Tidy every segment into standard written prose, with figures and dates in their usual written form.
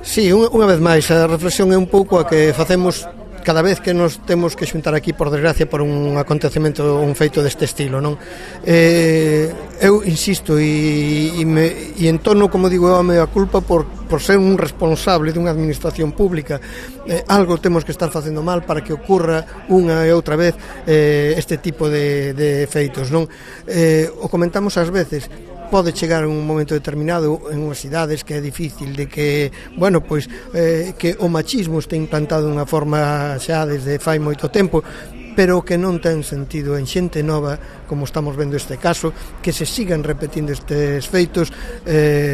Sí, unha vez máis, a reflexión é un pouco a que facemos cada vez que nos temos que xuntar aquí, por desgracia, por un acontecemento, un feito deste estilo, non? Eu insisto e entono, como digo, a mea culpa por ser un responsable dunha administración pública. Algo temos que estar facendo mal para que ocurra unha e outra vez este tipo de feitos, non? O comentamos ás veces, pode chegar un momento determinado en unhas cidades que é difícil de que, bueno, pois que o machismo este implantado dunha forma xa desde fai moito tempo, pero que non ten sentido en xente nova, como estamos vendo este caso, que se sigan repetindo estes feitos.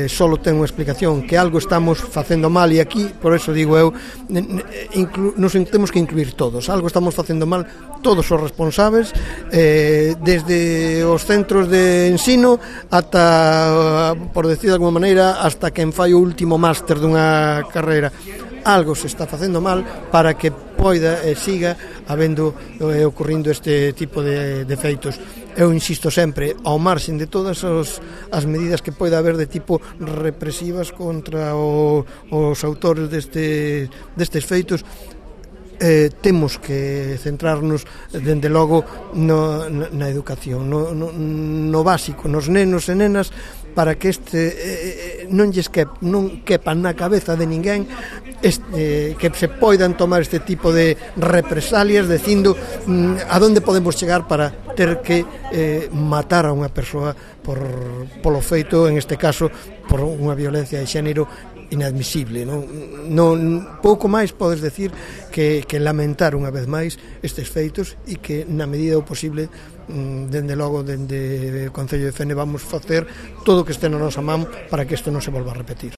Solo ten unha explicación, que algo estamos facendo mal, e aquí, por eso digo eu, nos temos que incluir todos, algo estamos facendo mal todos os responsables, desde os centros de ensino ata, por decir de alguma maneira, hasta quen fai o último máster dunha carreira. Algo se está facendo mal para que poida e siga habendo ocurrindo este tipo de feitos. Eu insisto sempre, ao marxen de todas as medidas que poida haber de tipo represivas contra os autores destes feitos, temos que centrarnos dende logo na educación, no básico, nos nenos e nenas, para que non quepa na cabeza de ninguén que se poidan tomar este tipo de represalias dicindo a donde podemos chegar para ter que matar a unha persoa polo feito, en este caso, por unha violencia de xénero inadmisible. Non pouco máis podes decir que lamentar unha vez máis estes feitos, e que na medida do posible, dende logo, dende o Concello de Fene, vamos facer todo o que este na nosa man para que isto non se volva a repetir.